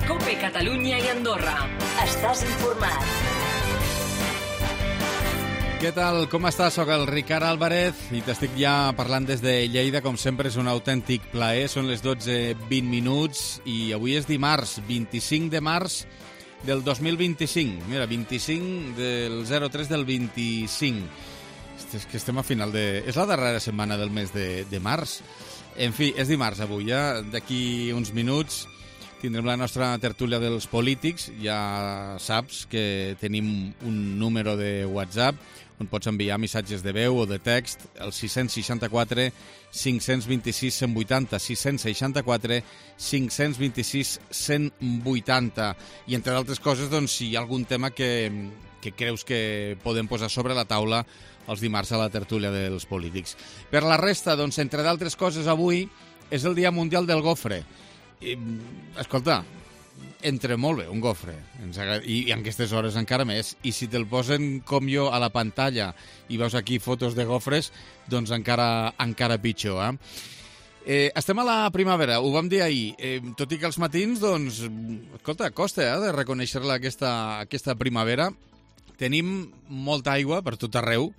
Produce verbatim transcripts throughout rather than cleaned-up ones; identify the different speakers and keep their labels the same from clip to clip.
Speaker 1: COPE Catalunya i Andorra. Estàs informat.
Speaker 2: Què tal? Com estàs? Soc el Ricard Álvarez i t'estic ja parlant des de Lleida. Com sempre, és un autèntic plaer. Són les dotze vint minuts i avui és dimarts, vint-i-cinc de març del dos mil vint-i-cinc. Mira, vint-i-cinc del zero tres del vint-i-cinc. És que estem a final de... És la darrera setmana del mes de, de març. En fi, és dimarts avui, ja. D'aquí uns minuts tindrem la nostra tertúlia dels polítics. Ja saps que tenim un número de WhatsApp on pots enviar missatges de veu o de text, el sis seixanta-quatre cinc vint sis cent vuitanta, sis seixanta-quatre cinc vint sis cent vuitanta. I, entre d'altres coses, doncs, si hi ha algun tema que, que creus que podem posar sobre la taula els dimarts a la tertúlia dels polítics. Per la resta, doncs, entre d'altres coses, avui és el Dia Mundial del Gofre. I, escolta, entra molt bé un gofre, i, i en aquestes hores encara més, i si te'l posen com jo a la pantalla i veus aquí fotos de gofres, doncs encara, encara pitjor, eh? Eh, estem a la primavera, ho vam dir ahir, eh, tot i que els matins, doncs, escolta, costa eh, de reconèixer-la aquesta, aquesta primavera. Tenim molta aigua per tot arreu,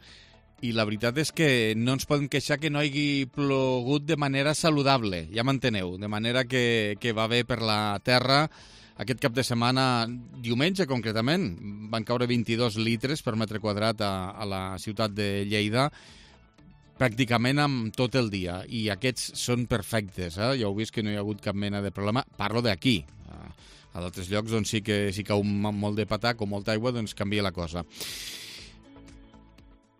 Speaker 2: i la veritat és que no ens podem queixar que no hagi plogut de manera saludable, ja m'enteneu, de manera que, que va bé per la terra. Aquest cap de setmana, diumenge concretament, van caure vint-i-dos litres per metre quadrat a, a la ciutat de Lleida, pràcticament amb tot el dia, i aquests són perfectes, eh? Ja heu vist que no hi ha hagut cap mena de problema, parlo d'aquí. A d'altres llocs, doncs, sí que si cau molt de patac o molta aigua, doncs canvia la cosa.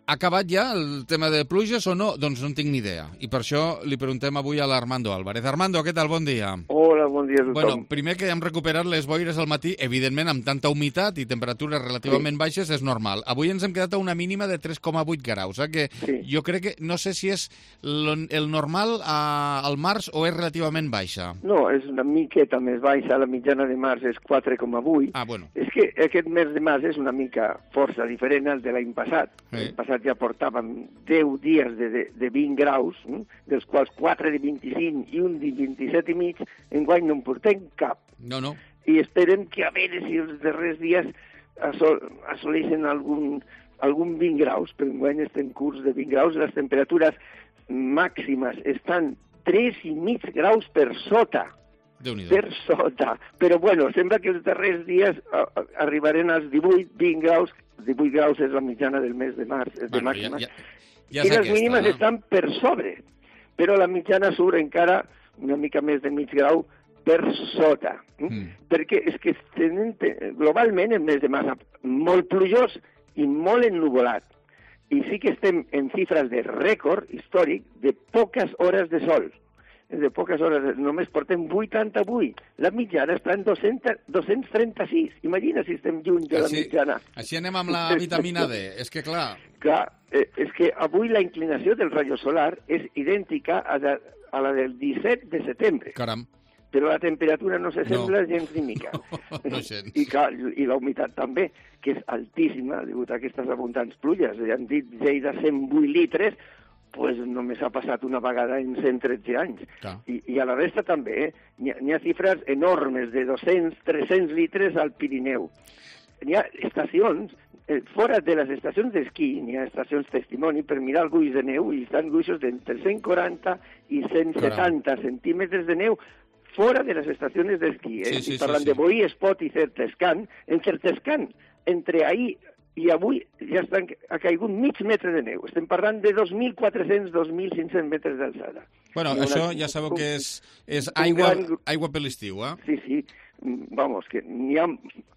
Speaker 2: Ha acabat ja el tema de pluges o no? Doncs no en tinc ni idea. I per això li preguntem avui a l'Armando Álvarez. Armando, què tal? Bon dia.
Speaker 3: Hola, bon dia a tothom.
Speaker 2: Bueno, primer que hem recuperat les boires al matí, evidentment amb tanta humitat i temperatures relativament sí. baixes és normal. Avui ens hem quedat a una mínima de tres coma vuit graus, eh? Que sí. Jo crec que, no sé si és el normal a, al març o és relativament baixa.
Speaker 3: No, és una miqueta més baixa, la mitjana de març és quatre coma vuit.
Speaker 2: Ah, bueno.
Speaker 3: És que aquest mes de març és una mica força diferent al de l'any passat. Sí. L'any passat ja portàvem deu dies de, de, de vint graus, hm? dels quals quatre de vint-i-cinc i un de vint-i-set i mig, enguany no en portem cap.
Speaker 2: No, no.
Speaker 3: I esperem que a veure si els darrers dies assol assoleixen algun, algun vint graus, però enguany estem curts de vint graus, les temperatures màximes estan tres i mig graus per sota. Per sota. Però, bueno, sembla que els darrers dies arribarem als divuit, vint graus. divuit graus és la mitjana del mes de març, és de
Speaker 2: bueno,
Speaker 3: màxima.
Speaker 2: Ja, ja, ja
Speaker 3: I les
Speaker 2: aquesta,
Speaker 3: mínimes
Speaker 2: no?
Speaker 3: estan per sobre, però la mitjana surt encara una mica més de mig grau per sota. Mm. Perquè és que tenen, globalment el mes de març molt plujós i molt ennuvolat. I sí que estem en xifres de rècord històric de poques hores de sol. De poques hores, només portem vuitanta-vuit. La mitjana està en dos-cents trenta-sis. Imagina si estem lluny de la
Speaker 2: així,
Speaker 3: mitjana.
Speaker 2: Així anem amb la vitamina D. És que, clar...
Speaker 3: Clar, eh, és que avui la inclinació del rayo solar és idèntica a, de, a la del disset de setembre.
Speaker 2: Caram.
Speaker 3: Però la temperatura no s'assembla
Speaker 2: no.
Speaker 3: gens ni mica.
Speaker 2: No, no gens.
Speaker 3: I, clar, i la humitat també, que és altíssima, degut a aquestes abundants pluges. Ja han dit Lleida cent vuit litres, pues només ha passat una vegada en cent tretze anys. I, I a la resta també, eh? N'hi ha, ha xifres enormes de dos-cents a tres-cents litres al Pirineu. N'hi ha estacions, eh, fora de les estacions d'esquí, n'hi ha estacions testimoni per mirar el guix de neu, i estan guixos d'entre cent quaranta i cent setanta Caram. centímetres de neu fora de les estacions d'esquí. Eh?
Speaker 2: Sí, sí,
Speaker 3: parlant
Speaker 2: sí, sí.
Speaker 3: de Boí, Espot i Certescan. En Certescan, entre ahir i avui ja estan, ha caigut mig metre de neu. Estem parlant de dos mil quatre-cents a dos mil cinc-cents metres d'alçada.
Speaker 2: Bueno, una, això ja sabeu que és, és aigua, gran... aigua per l'estiu, eh?
Speaker 3: Sí, sí. Vamos, que n'hi ha,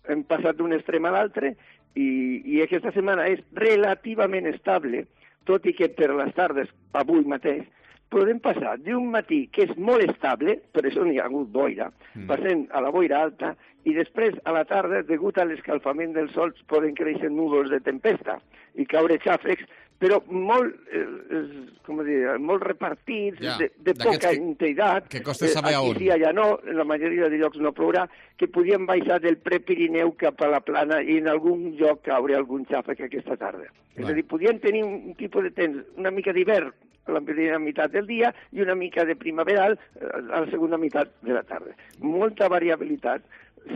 Speaker 3: hem passat d'un extrem a l'altre i, i aquesta setmana és relativament estable, tot i que per les tardes, avui mateix, podem passar d'un matí que és molt estable, per això n'hi ha hagut boira, mm. passem a la boira alta, i després, a la tarda, degut a l'escalfament del sol, poden créixer núvols de tempesta i caure xàfecs, però molt, eh, com dir, molt repartits, ja, de, de poca
Speaker 2: que,
Speaker 3: intensitat.
Speaker 2: Que costa saber
Speaker 3: eh,
Speaker 2: on.
Speaker 3: Aquí sí, allà no, en la majoria de llocs no plourà, que podien baixar del Prepirineu cap a la plana i en algun lloc caure algun xàfec aquesta tarda. Va. És a dir, podien tenir un tipus de temps una mica d'hivern a la primera meitat del dia i una mica de primaveral a la segona meitat de la tarda. Molta variabilitat.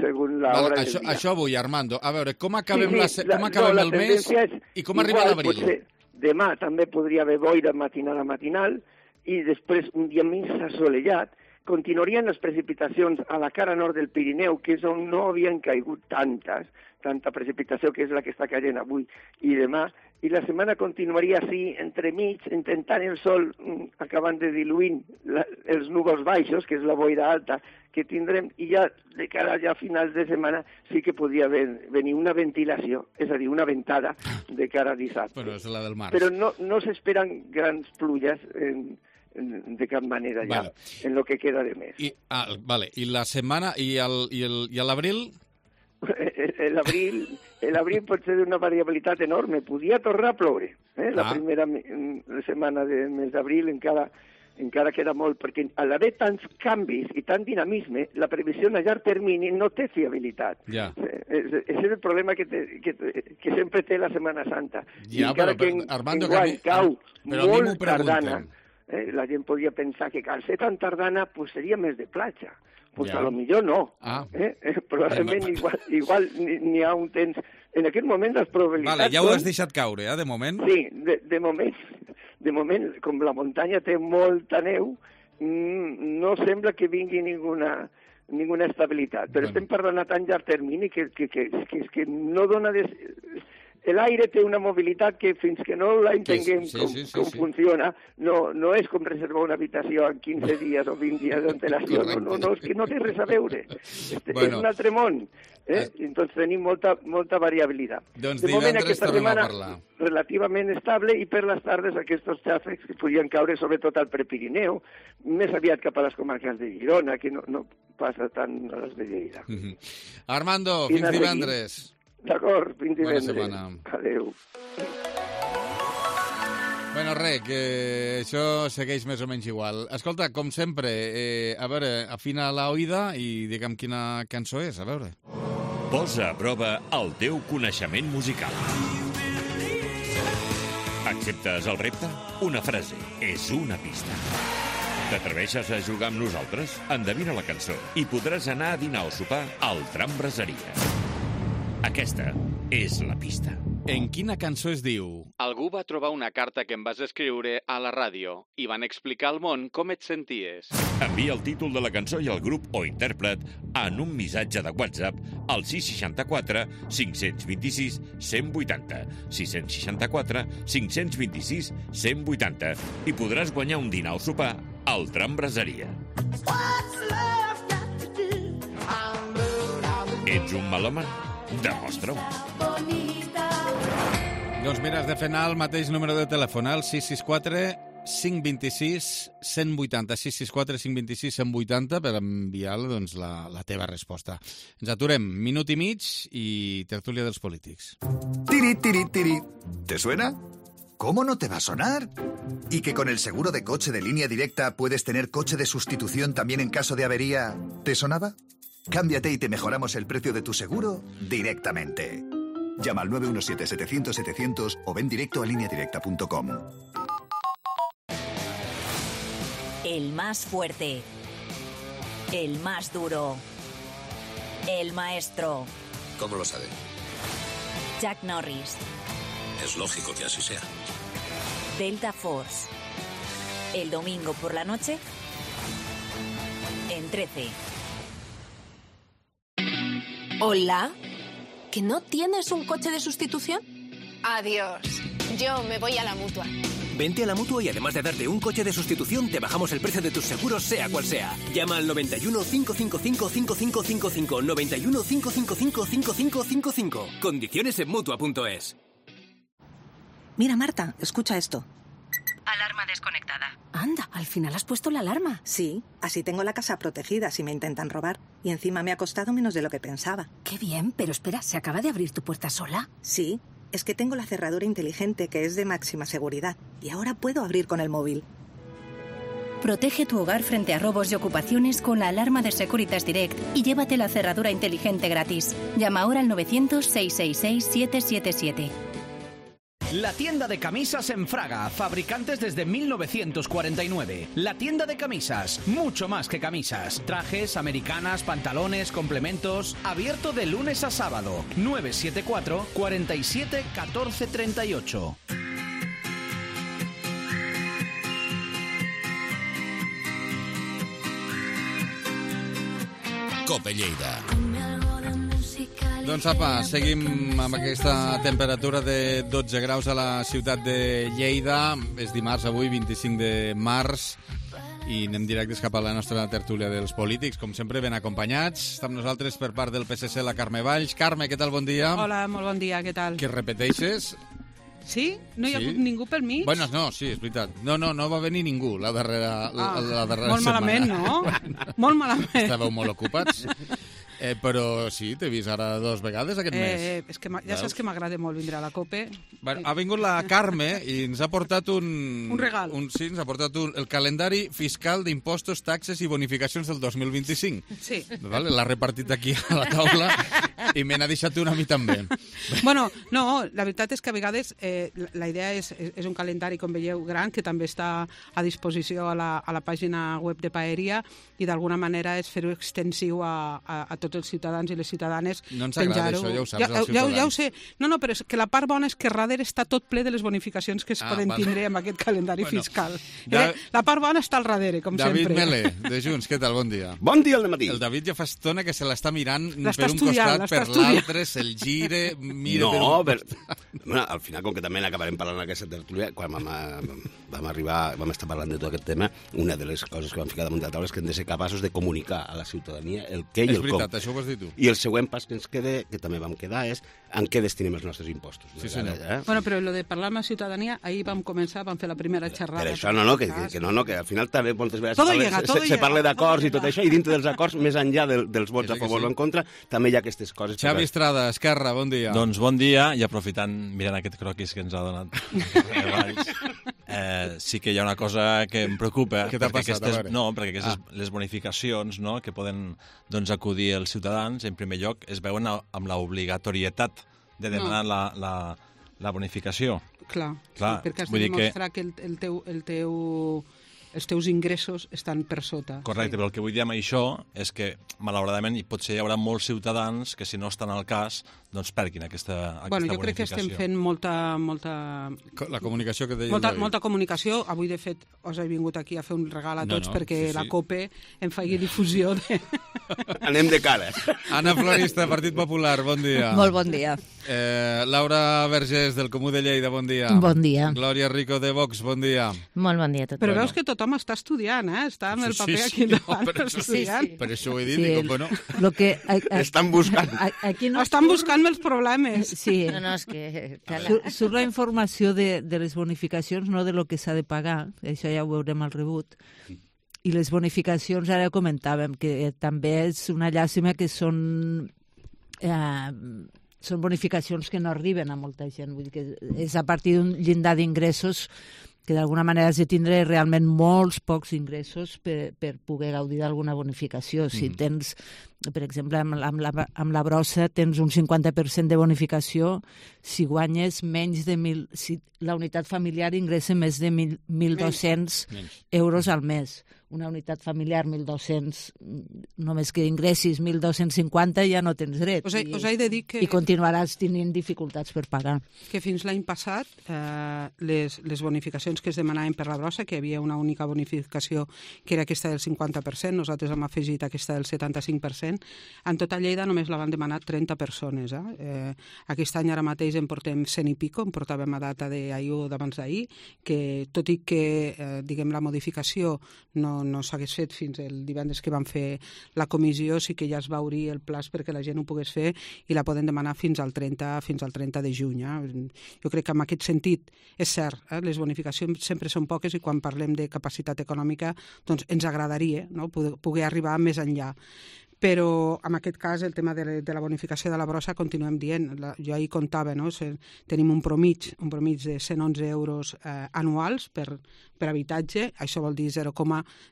Speaker 3: según la
Speaker 2: vale,
Speaker 3: hora
Speaker 2: això,
Speaker 3: del dia.
Speaker 2: Això vull, Armando. A veure, com acabem,
Speaker 3: sí,
Speaker 2: la,
Speaker 3: sí,
Speaker 2: com acabem
Speaker 3: no,
Speaker 2: el mes i com
Speaker 3: igual,
Speaker 2: arriba l'abril?
Speaker 3: Potser, demà també podria haver boira matinal a matinal i després un dia més assolellat. Continuarien les precipitacions a la cara nord del Pirineu, que és on no havien caigut tantes, tanta precipitació, que és la que està caient avui i demà, i la setmana continuaria així, entremig, intentant el sol, acabant de diluint la, els núvols baixos, que és la boira alta que tindrem, i ja de cara ja a finals de setmana sí que podria ven, venir una ventilació, és a dir, una ventada de cara a dissabte.
Speaker 2: Però és la del març.
Speaker 3: Però no, no s'esperen grans pluges en, en, de cap manera ja,
Speaker 2: vale.
Speaker 3: en lo que queda de mes.
Speaker 2: I, ah, vale. I la setmana, i el, i el, i l'abril?
Speaker 3: L'abril l'abril pot ser d'una variabilitat enorme. Podia tornar a ploure. Eh? La
Speaker 2: ah.
Speaker 3: primera setmana del mes d'abril encara, encara queda molt, perquè a l'haver tants canvis i tant dinamisme, la previsió a llarg termini no té fiabilitat.
Speaker 2: Ja.
Speaker 3: És, és el problema que, té, que, que sempre té la Setmana Santa.
Speaker 2: Ja,
Speaker 3: I encara
Speaker 2: però,
Speaker 3: que en,
Speaker 2: Armando,
Speaker 3: enguany
Speaker 2: que mi,
Speaker 3: cau
Speaker 2: però
Speaker 3: molt tardana, eh? La gent podria pensar que al ser tan tardana pues seria més de platja. Pues ja. A lo millor no.
Speaker 2: Ah.
Speaker 3: Eh? Eh, probablement igual, igual n'hi ha un temps... En aquest moment les probabilitats...
Speaker 2: Vale, ja ho has deixat caure, eh, de moment?
Speaker 3: Sí, de, de moment, de moment, com la muntanya té molta neu, no sembla que vingui ninguna, ninguna estabilitat. Però bueno. Estem parlant a tan llarg termini que, que, que, que, que no dona... Des... L'aire té una mobilitat que fins que no la entenguem sí, sí, com, sí, sí, com sí. funciona, no, no és com reservar una habitació en quinze dies o vint dies d'antelació, no, no, no, és que no té res a veure. Este, bueno. És un altre món. Eh? Entonces tenim molta, molta variabilitat.
Speaker 2: Doncs
Speaker 3: de moment aquesta setmana
Speaker 2: a
Speaker 3: relativament estable i per les tardes aquests xàfecs que podien caure sobretot al Prepirineu, més aviat cap a les comarques de Girona, que no, no passa tant a les de Lleida.
Speaker 2: Mm-hmm. Armando, fins divendres.
Speaker 3: D'acord, fins divendres.
Speaker 2: Bona setmana.
Speaker 3: Adéu.
Speaker 2: Bueno, res, que això segueix més o menys igual. Escolta, com sempre, eh, a veure, afina la oïda i digue'm quina cançó és, a veure.
Speaker 4: Posa a prova el teu coneixement musical. Acceptes el repte? Una frase és una pista. T'atreveixes a jugar amb nosaltres? Endevina la cançó i podràs anar a dinar o sopar al Tram Braseria. Aquesta és la pista.
Speaker 2: En quina cançó es diu?
Speaker 5: Algú va trobar una carta que em vas escriure a la ràdio i van explicar al món com et senties.
Speaker 4: Envia el títol de la cançó i el grup o intèrpret en un missatge de WhatsApp al sis seixanta-quatre cinc cents vint-i-sis cent vuitanta, sis seixanta-quatre cinc cents vint-i-sis cent vuitanta i podràs guanyar un dinar o sopar al Tram Braseria. Ets un melòman? Demostra-ho.
Speaker 2: Doncs mira, has de fer anar el mateix número de telèfon, el sis sis quatre cinc dos sis cent vuitanta, sis sis quatre cinc dos sis cent vuitanta per enviar doncs, la, la teva resposta. Ens aturem, minut i mig i tertúlia dels polítics.
Speaker 6: Tiri, tiri, tiri. ¿Te suena? ¿Cómo no te va a sonar? ¿Y que con el seguro de coche de Línea Directa puedes tener coche de sustitución también en caso de avería? ¿Te sonaba? Cámbiate y te mejoramos el precio de tu seguro directamente. Llama al nueve uno siete setecientos setecientos o ven directo a línea directa punto com.
Speaker 1: El más fuerte. El más duro. El maestro.
Speaker 7: ¿Cómo lo sabe?
Speaker 1: Chuck Norris.
Speaker 7: Es lógico que así sea.
Speaker 1: Delta Force. El domingo por la noche en trece.
Speaker 8: Hola, ¿que no tienes un coche de sustitución?
Speaker 9: Adiós, yo me voy a la Mutua.
Speaker 10: Vente a la Mutua y además de darte un coche de sustitución, te bajamos el precio de tus seguros, sea cual sea. Llama al noventa y uno, cinco cinco cinco, cinco cinco cinco cinco, noventa y uno, cinco cinco cinco, cinco cinco cinco cinco. Condiciones en Mutua punto es.
Speaker 11: Mira, Marta, escucha esto.
Speaker 12: Alarma desconectada.
Speaker 11: Anda, al final has puesto la alarma. Sí, así tengo la casa protegida si me intentan robar. Y encima me ha costado menos de lo que pensaba.
Speaker 12: Qué bien, pero espera, ¿se acaba de abrir tu puerta sola?
Speaker 11: Sí, es que tengo la cerradura inteligente que es de máxima seguridad. Y ahora puedo abrir con el móvil.
Speaker 12: Protege tu hogar frente a robos y ocupaciones con la alarma de Securitas Direct y llévate la cerradura inteligente gratis. Llama ahora al novecientos, seiscientos sesenta y seis, setecientos setenta y siete.
Speaker 13: La tienda de camisas en Fraga, fabricantes desde mil novecientos cuarenta y nueve. La tienda de camisas, mucho más que camisas. Trajes, americanas, pantalones, complementos. Abierto de lunes a sábado. nueve siete cuatro, cuarenta y siete, catorce treinta y ocho.
Speaker 4: Cope Lleida.
Speaker 2: Doncs apa, seguim amb aquesta temperatura de dotze graus a la ciutat de Lleida. És dimarts avui, vint-i-cinc de març, i anem directes cap a la nostra tertúlia dels polítics, com sempre ben acompanyats. Està amb nosaltres per part del P S C la Carme Valls. Carme, què tal? Bon dia.
Speaker 14: Hola, molt bon dia, què tal?
Speaker 2: Que repeteixes?
Speaker 14: Sí? No hi ha
Speaker 2: Sí?
Speaker 14: hagut ningú pel mig?
Speaker 2: Bueno, no, sí, és veritat. No, no, no va venir ningú la darrera, la,
Speaker 14: Ah,
Speaker 2: la darrera
Speaker 14: molt
Speaker 2: setmana.
Speaker 14: malament, no? Molt malament.
Speaker 2: Estàveu molt ocupats. Eh, però sí, t'he vist ara dos vegades aquest mes.
Speaker 14: Eh, és que ma- ja saps
Speaker 2: Veus?
Speaker 14: que m'agrada molt vindre a la Cope.
Speaker 2: Bueno, ha vingut la Carme i ens ha portat un...
Speaker 14: Un regal.
Speaker 2: Un, sí, ens ha portat un, el calendari fiscal d'impostos, taxes i bonificacions del dos mil vint-i-cinc.
Speaker 14: Sí.
Speaker 2: Vale? L'ha repartit aquí a la taula i me n'ha deixat una a mi també.
Speaker 14: Bueno, no, la veritat és que a vegades eh, la- la idea és, és és un calendari, com veieu, gran, que també està a disposició a la, a la pàgina web de Paeria, i d'alguna manera és fer-ho extensiu a, a, a tots els ciutadans i les ciutadanes.
Speaker 2: No ens agrada
Speaker 14: penjar-ho.
Speaker 2: això, ja ho saps,
Speaker 14: ja,
Speaker 2: als
Speaker 14: ja, ja ho
Speaker 2: ciutadans.
Speaker 14: sé. No, no, però és que la part bona és que darrere està tot ple de les bonificacions que es
Speaker 2: Ah,
Speaker 14: poden
Speaker 2: vale.
Speaker 14: tindre amb aquest calendari
Speaker 2: Bueno,
Speaker 14: fiscal.
Speaker 2: Da-
Speaker 14: Eh, la part bona està al darrere, com
Speaker 2: David
Speaker 14: sempre.
Speaker 2: Melé, de Junts, què tal? Bon dia.
Speaker 15: Bon dia al dematí.
Speaker 2: El David ja fa estona que se l'està mirant
Speaker 14: L'està
Speaker 2: per un
Speaker 14: estudiant,
Speaker 2: costat,
Speaker 14: l'està
Speaker 2: per
Speaker 14: estudiant.
Speaker 2: l'altre, se'l gire, mira per
Speaker 15: No,
Speaker 2: un
Speaker 15: per... bueno, al final, com que també n'acabarem parlant aquesta tertúlia, quan vam, vam arribar, vam estar parlant de tot aquest tema, una de les coses que vam ficar damunt de la taula és que hem de ser capaços de comunicar a la ciutadania el què i
Speaker 2: És
Speaker 15: el
Speaker 2: veritat,
Speaker 15: com.
Speaker 2: això ho has dit tu.
Speaker 15: I el següent pas que ens queda, que també vam quedar, és en què destinem els nostres impostos.
Speaker 2: Sí, senyor.
Speaker 15: Eh?
Speaker 14: Bueno, però lo de parlar amb la ciutadania, ahir vam començar, vam fer la primera xerrada.
Speaker 15: Per això, no, no, que, que, que no, no, que al final també moltes vegades
Speaker 14: Todo
Speaker 15: se parla,
Speaker 14: llega,
Speaker 15: se,
Speaker 14: todo
Speaker 15: se,
Speaker 14: llega,
Speaker 15: se parla d'acords
Speaker 14: todo
Speaker 15: i tot
Speaker 14: llega.
Speaker 15: això, i dintre dels acords, més enllà del, dels vots
Speaker 2: Que sí,
Speaker 15: a favor
Speaker 2: que sí.
Speaker 15: o en contra, també hi ha aquestes coses.
Speaker 2: Xavi Estrada, Esquerra, bon dia.
Speaker 16: Doncs bon dia, i aprofitant, mirant aquest croquis que ens ha donat Valls, eh, sí que hi ha una cosa que em preocupa.
Speaker 2: Què t'ha
Speaker 16: perquè
Speaker 2: passat? A
Speaker 16: aquestes,
Speaker 2: veure.
Speaker 16: no, perquè aquestes,
Speaker 2: Ah.
Speaker 16: les bonificacions, no?, que poden doncs, acudir els ciutadans, en primer lloc, es veuen a- amb l'obligatorietat de demanar
Speaker 14: No.
Speaker 16: la, la, la bonificació.
Speaker 14: Clar,
Speaker 16: Clar,
Speaker 14: sí, perquè has
Speaker 16: vull
Speaker 14: de
Speaker 16: dir que-
Speaker 14: demostrar que, que el, el, teu, el teu, els teus ingressos estan per sota.
Speaker 16: Correcte, però el que vull dir amb això és que, malauradament, i potser hi haurà molts ciutadans que, si no estan al cas, doncs perdin aquesta, aquesta
Speaker 14: Bueno, jo crec que estem
Speaker 16: bonificació.
Speaker 14: fent molta, molta,
Speaker 2: La comunicació que deia
Speaker 14: molta,
Speaker 2: el David.
Speaker 14: molta comunicació. Avui, de fet, us he vingut aquí a fer un regal a
Speaker 2: No,
Speaker 14: tots
Speaker 2: no,
Speaker 14: perquè
Speaker 2: sí,
Speaker 14: la
Speaker 2: sí.
Speaker 14: Cope em faci difusió de...
Speaker 15: Anem de cara.
Speaker 2: Anna Florista, Partit Popular, bon dia.
Speaker 17: Molt bon dia.
Speaker 2: Eh, Laura Vergés, del Comú de Lleida, bon dia.
Speaker 17: Bon dia.
Speaker 2: Glòria Rico, de Vox, bon dia.
Speaker 17: Molt bon dia a tothom.
Speaker 14: Però veus que tothom està estudiant, eh? Està amb el
Speaker 2: Sí,
Speaker 14: paper
Speaker 2: sí,
Speaker 14: aquí
Speaker 2: no,
Speaker 14: davant,
Speaker 2: per això-
Speaker 14: estudiant.
Speaker 2: Per això ho he dit,
Speaker 17: Sí,
Speaker 2: dic,
Speaker 17: el-
Speaker 2: bueno...
Speaker 17: Lo que, a, a,
Speaker 15: Estan buscant.
Speaker 17: a, aquí no
Speaker 14: Estan buscant els problemes.
Speaker 17: Sí.
Speaker 18: No, no, és que...
Speaker 17: Surt, surt la informació de, de les bonificacions, no de lo que s'ha de pagar, això ja ho veurem al rebut. I les bonificacions, ara comentàvem, que també és una llàstima que són... Eh, són bonificacions que no arriben a molta gent. Vull dir que és a partir d'un llindar d'ingressos que d'alguna manera has de tindre realment molts pocs ingressos per, per poder gaudir d'alguna bonificació. Si
Speaker 19: Mm.
Speaker 17: tens, per exemple, amb, amb, la, amb la brossa tens un cinquanta per cent de bonificació si guanyes menys de mil... Si la unitat familiar ingressa més de mil, mil dos-cents euros al mes. Una unitat familiar, mil dos-cents, només que ingressis mil dos-cents cinquanta ja no tens dret.
Speaker 14: Us he,
Speaker 17: I,
Speaker 14: us he de dir que...
Speaker 17: I continuaràs tenint dificultats per pagar.
Speaker 14: que fins l'any passat eh, les, les bonificacions que es demanaven per la brossa, que hi havia una única bonificació que era aquesta del cinquanta per cent, nosaltres hem afegit aquesta del setanta-cinc per cent, en tota Lleida només la van demanar trenta persones. Eh? Eh, aquest any ara mateix en portem cent i pico, en portàvem a data d'ahir o d'abans d'ahir, que tot i que eh, diguem la modificació no, no s'hagués fet fins el divendres que van fer la comissió, sí que ja es va obrir el plaç perquè la gent ho pogués fer i la poden demanar fins al trenta, fins al trenta de juny. Eh? Jo crec que en aquest sentit és cert, eh? Les bonificacions sempre són poques i quan parlem de capacitat econòmica doncs ens agradaria, no? poder, poder arribar més enllà. però en aquest cas el tema de, de la bonificació de la brossa continuem dient, la, jo ahir contava, no? Tenim un promig, un promig de cent onze euros eh, anuals per, per habitatge, això vol dir zero,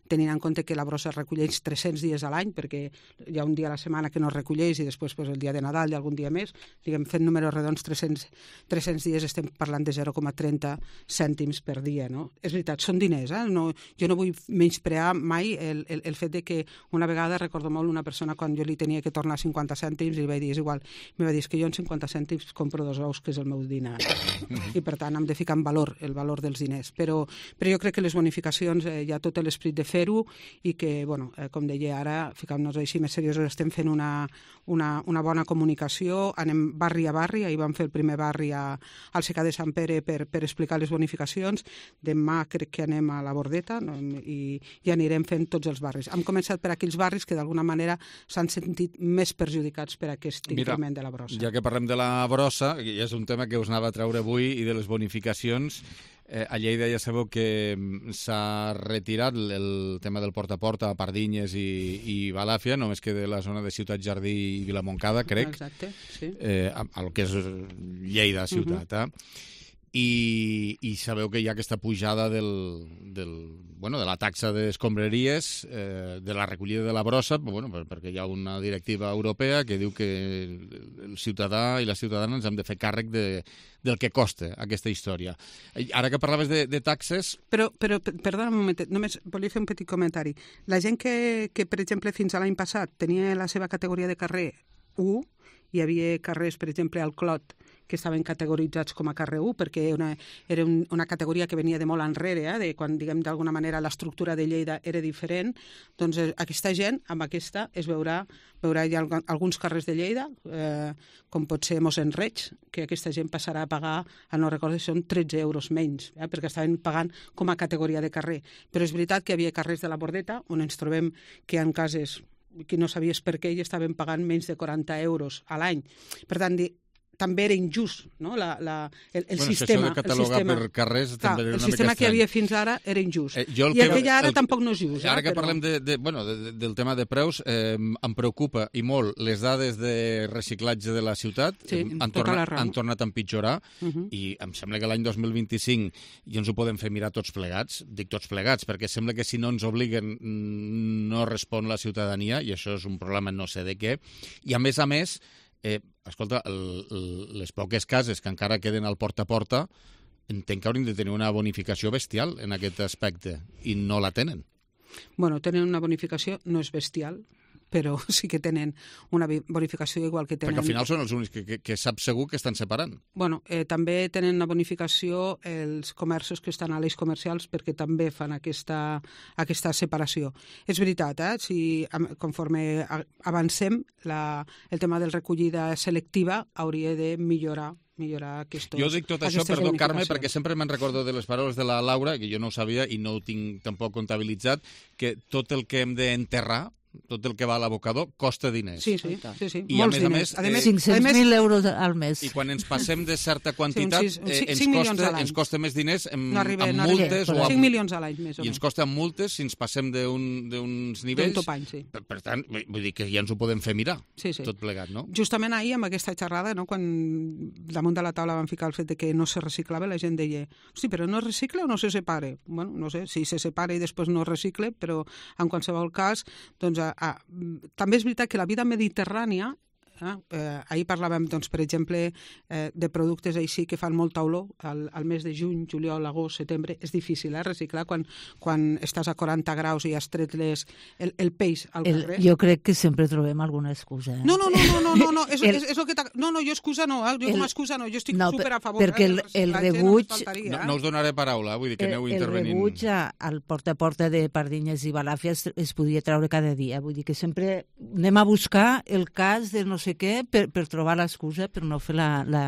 Speaker 14: tenint en compte que la brossa es recolleix tres-cents dies a l'any, perquè hi ha un dia a la setmana que no es recolleix i després pues, el dia de Nadal i algun dia més, diguem, fent números redons, tres-cents, tres-cents dies estem parlant de zero coma trenta cèntims per dia, no? És veritat, són diners, eh? No, jo no vull menysprear mai el, el, el fet de que una vegada recordo molt una persona quan jo li tenia que tornar cinquanta cèntims i li vaig dir, és igual, em va dir, és que jo en cinquanta cèntims compro dos ous, que és el meu dinar. I per tant hem de ficar en valor el valor dels diners. Però, però jo crec que les bonificacions eh, hi ha tot l'esprit de fer-ho i que, bueno, eh, com deia ara, ficant-nos així més seriosos, estem fent una, una, una bona comunicació, anem barri a barri, ahir vam fer el primer barri a, al Secà de Sant Pere per, per explicar les bonificacions, demà crec que anem a la Bordeta, no? I, i anirem fent tots els barris. Hem començat per aquells barris que d'alguna manera s'han sentit més perjudicats per aquest increment de la brossa.
Speaker 2: Ja que parlem de la brossa, i és un tema que us anava a treure avui, i de les bonificacions, eh, a Lleida ja sabeu que s'ha retirat el tema del porta a porta a Pardinyes i, i Balàfia, només que de la zona de Ciutat Jardí i Vilamoncada, crec.
Speaker 14: Exacte, sí.
Speaker 2: Eh, el que és Lleida ciutat, uh -huh. eh? I, i sabeu que hi ha aquesta pujada del, del, bueno, de la taxa d'escombraries, eh, de la recollida de la brossa, bueno, perquè hi ha una directiva europea que diu que el ciutadà i la ciutadana ens hem de fer càrrec de, del que costa aquesta història. Ara que parlaves de, de taxes...
Speaker 14: Però, però perdona un moment, només volia fer un petit comentari. La gent que, que per exemple, fins a l'any passat tenia la seva categoria de carrer u, hi havia carrers, per exemple, al Clot, que estaven categoritzats com a carrer u, perquè una, era un, una categoria que venia de molt enrere, eh, de quan, diguem, d'alguna manera l'estructura de Lleida era diferent, doncs eh, aquesta gent, amb aquesta, es veurà, veurà hi ha alguns carrers de Lleida, eh, com pot ser Mossèn Reig, que aquesta gent passarà a pagar, no recordo si són tretze euros menys, eh, perquè estaven pagant com a categoria de carrer. Però és veritat que hi havia carrers de la Bordeta, on ens trobem que hi ha cases que no sabies per què i estaven pagant menys de quaranta euros a l'any. Per tant, també era injust, no? la, la, el, el
Speaker 2: bueno,
Speaker 14: sistema.
Speaker 2: Això de catalogar
Speaker 14: el sistema,
Speaker 2: per carrers
Speaker 14: clar,
Speaker 2: també era
Speaker 14: el
Speaker 2: una
Speaker 14: sistema
Speaker 2: mica
Speaker 14: que hi havia fins ara era injust. Eh, I el, el que hi ha ara el, tampoc no és just.
Speaker 2: Ara
Speaker 14: eh,
Speaker 2: que
Speaker 14: però...
Speaker 2: parlem de, de, bueno, de, de, del tema de preus, eh, em preocupa i molt les dades de reciclatge de la ciutat.
Speaker 14: Sí,
Speaker 2: han,
Speaker 14: tota
Speaker 2: tornat,
Speaker 14: la raó.
Speaker 2: han tornat a empitjorar
Speaker 14: uh -huh.
Speaker 2: i em sembla que l'any dos mil vint-i-cinc ja ens ho podem fer mirar tots plegats. Dic tots plegats perquè sembla que si no ens obliguen no respon la ciutadania i això és un problema no sé de què. I a més a més, Eh, escolta, el, el, les poques cases que encara queden al porta a porta entenc que haurien de tenir una bonificació bestial en aquest aspecte i no la tenen.
Speaker 14: Bueno, tenen una bonificació, no és bestial, però sí que tenen una bonificació igual que tenen...
Speaker 2: Perquè al final són els únics que, que, que sap segur que estan separant.
Speaker 14: Bueno, eh, també tenen una bonificació els comerços que estan a l'eix comercials perquè també fan aquesta, aquesta separació. És veritat, eh? Si, conforme avancem, la, el tema de recollida selectiva hauria de millorar millorar aquestos,
Speaker 2: jo dic tot això, perdó, Carme, perquè sempre me'n recordo de les paraules de la Laura, que jo no ho sabia i no ho tinc tampoc comptabilitzat, que tot el que hem d'enterrar, tot el que va a l'abocador costa diners.
Speaker 14: Sí, sí, sí, sí.
Speaker 2: I
Speaker 14: molts
Speaker 2: a més
Speaker 14: diners.
Speaker 2: a més...
Speaker 14: més
Speaker 2: Eh,
Speaker 17: cinc-cents mil euros al mes.
Speaker 2: I quan ens passem de certa quantitat,
Speaker 14: sí, un sis,
Speaker 2: eh, ens,
Speaker 14: cinc
Speaker 2: costa, ens costa més diners amb,
Speaker 14: no arriba,
Speaker 2: amb
Speaker 14: no
Speaker 2: multes
Speaker 14: arriba,
Speaker 2: o amb...
Speaker 14: cinc milions a l'any, més o
Speaker 2: I ens costa amb multes si ens passem d'uns un, nivells...
Speaker 14: D'un topany, sí.
Speaker 2: Per, per tant, vull dir que ja ens ho podem fer mirar,
Speaker 14: sí, sí.
Speaker 2: tot plegat, no?
Speaker 14: Justament ahir, amb aquesta xerrada, no, quan damunt de la taula van ficar el fet de que no se reciclava, la gent deia, hosti, però no es recicla o no se separa? Bueno, no sé, si se separa i després no es recicla, però en qualsevol cas, doncs, a, a, també és veritat que la vida mediterrània, eh, eh, ahir parlàvem, doncs, per exemple, eh, de productes així que fan molta olor, al, al mes de juny, juliol, agost, setembre, és difícil eh, reciclar quan, quan estàs a quaranta graus i has tret les, el, el peix al
Speaker 17: el,
Speaker 14: carrer.
Speaker 17: Jo crec que sempre trobem alguna excusa. Eh?
Speaker 14: No, no, no, no, no, no, no, és, el, és, és el que no, no, jo excusa no, eh? jo com a excusa no, jo estic
Speaker 17: no,
Speaker 14: super a favor.
Speaker 17: Perquè
Speaker 14: eh,
Speaker 17: el, el rebuig...
Speaker 2: No, no us donaré paraula, vull dir que
Speaker 17: el,
Speaker 2: aneu intervenint.
Speaker 17: El rebuig al porta a porta de Pardinyes i Balàfia es, es podia treure cada dia, vull dir que sempre anem a buscar el cas de no sé què per, per trobar l'excusa per no fer la, la,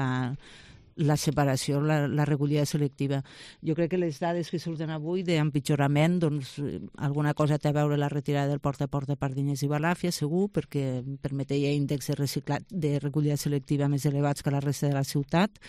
Speaker 17: la separació, la, la recollida selectiva. Jo crec que les dades que surten avui d'empitjorament, doncs alguna cosa té a veure la retirada del porta a porta Pardinyes i Balàfia, segur, perquè permetia índexs de, reciclat, de recollida selectiva més elevats que la resta de la ciutat.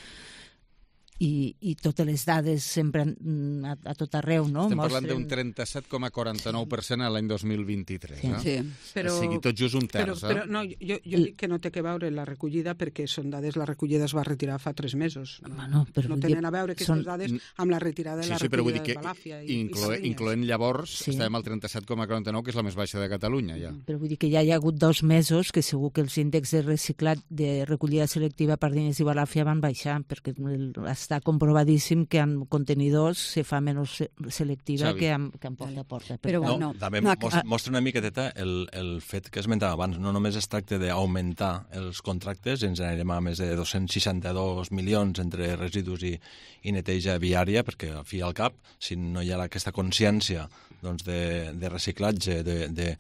Speaker 17: i, i totes les dades sempre a, a tot arreu, no?
Speaker 2: Estem
Speaker 17: Mostren...
Speaker 2: parlant d'un trenta-set coma quaranta-nou per cent a l'any dos mil vint-i-tres.
Speaker 17: Sí,
Speaker 2: eh?
Speaker 14: sí. Però,
Speaker 2: o sigui, tot just un terç.
Speaker 14: Però, però no, jo, jo dic que no té que veure la recollida perquè són dades, la recollida es va retirar fa tres mesos. No,
Speaker 17: bueno, però
Speaker 14: no tenen a veure aquestes són... dades amb la retirada de
Speaker 2: sí,
Speaker 14: la
Speaker 2: sí,
Speaker 14: recollida
Speaker 2: de
Speaker 14: Balàfia.
Speaker 2: I, incloent, i incloent llavors, sí. Estàvem al trenta-set coma quaranta-nou, que és la més baixa de Catalunya, ja.
Speaker 17: Però vull dir que ja hi ha hagut dos mesos que segur que els índexs de reciclat de recollida selectiva per Pardines i Balàfia van baixar, perquè està comprovadíssim que en contenidors se fa menys selectiva Xavi. que en, que en porta a porta.
Speaker 16: Però tant, no, també no, mostra, mostra una miqueteta el, el fet que esmentava abans. No només es tracta d'augmentar els contractes, ens anirem a més de dos-cents seixanta-dos milions entre residus i, i neteja viària, perquè al fi i al cap, si no hi ha aquesta consciència doncs, de, de reciclatge, de, de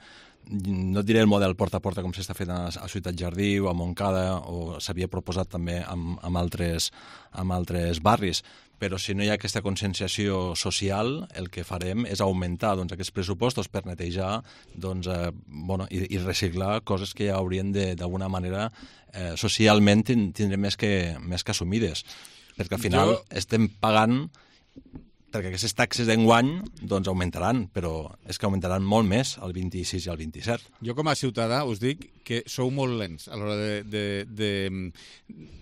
Speaker 16: no diré el model porta a porta com s'està fent a, a Ciutat Jardí o a Montcada, o s'havia proposat també amb, amb, altres, amb altres barris, però si no hi ha aquesta conscienciació social, el que farem és augmentar doncs, aquests pressupostos per netejar doncs, eh, bueno, i, i reciclar coses que ja haurien d'alguna manera eh, socialment tindre més que, més que assumides, perquè al final jo... estem pagant perquè aquestes taxes d'enguany doncs, augmentaran, però és que augmentaran molt més el vint-i-sis i el vint-i-set.
Speaker 2: Jo com a ciutadà us dic que sou molt lents a l'hora de... de, de,